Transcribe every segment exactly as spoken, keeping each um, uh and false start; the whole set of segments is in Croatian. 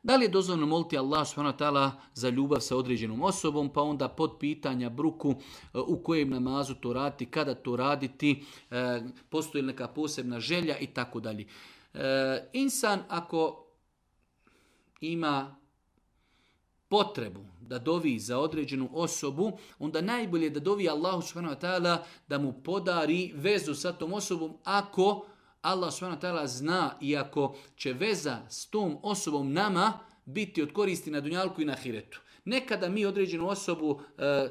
Da li je dozvoljeno moliti Allah subhanahu wa ta'ala za ljubav sa određenom osobom, pa onda pod pitanja bruku u kojem namazu to raditi, kada to raditi, postoji li neka posebna želja i tako dalje. Insan ako ima potrebu da dovi za određenu osobu, onda najbolje da dovi Allahu subhanahu wa ta'ala da mu podari vezu sa tom osobom ako Allah subhanahu wa ta'ala zna i ako će veza s tom osobom nama biti od koristi na dunjalku i na ahiretu. Nekada mi određenu osobu e, e,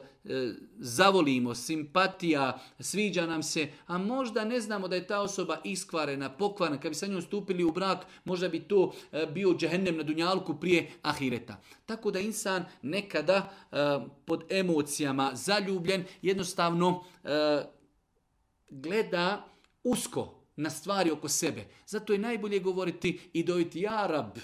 zavolimo, simpatija, sviđa nam se, a možda ne znamo da je ta osoba iskvarena, pokvarena. Kad bi sa njom stupili u brak, možda bi to e, bio džehennem na dunjalku prije ahireta. Tako da insan nekada e, pod emocijama zaljubljen jednostavno e, gleda usko na stvari oko sebe. Zato je najbolje govoriti i doviti ja Rab.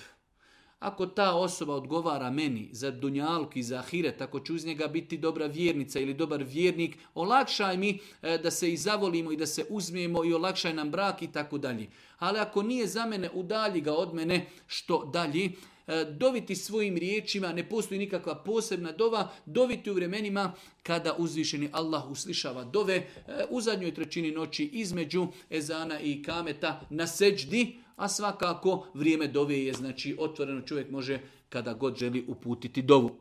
Ako ta osoba odgovara meni za dunjalku i za ahiret, ako ću uz njega biti dobra vjernica ili dobar vjernik, olakšaj mi da se i zavolimo i da se uzmijemo i olakšaj nam brak i tako dalje. Ali ako nije za mene, udalji ga od mene, što dalje? Doviti svojim riječima, ne postoji nikakva posebna dova, doviti u vremenima kada uzvišeni Allah uslišava dove u zadnjoj trećini noći između ezana i kameta na seđdi, a svakako vrijeme dove je znači otvoreno, čovjek može kada god želi uputiti dovu.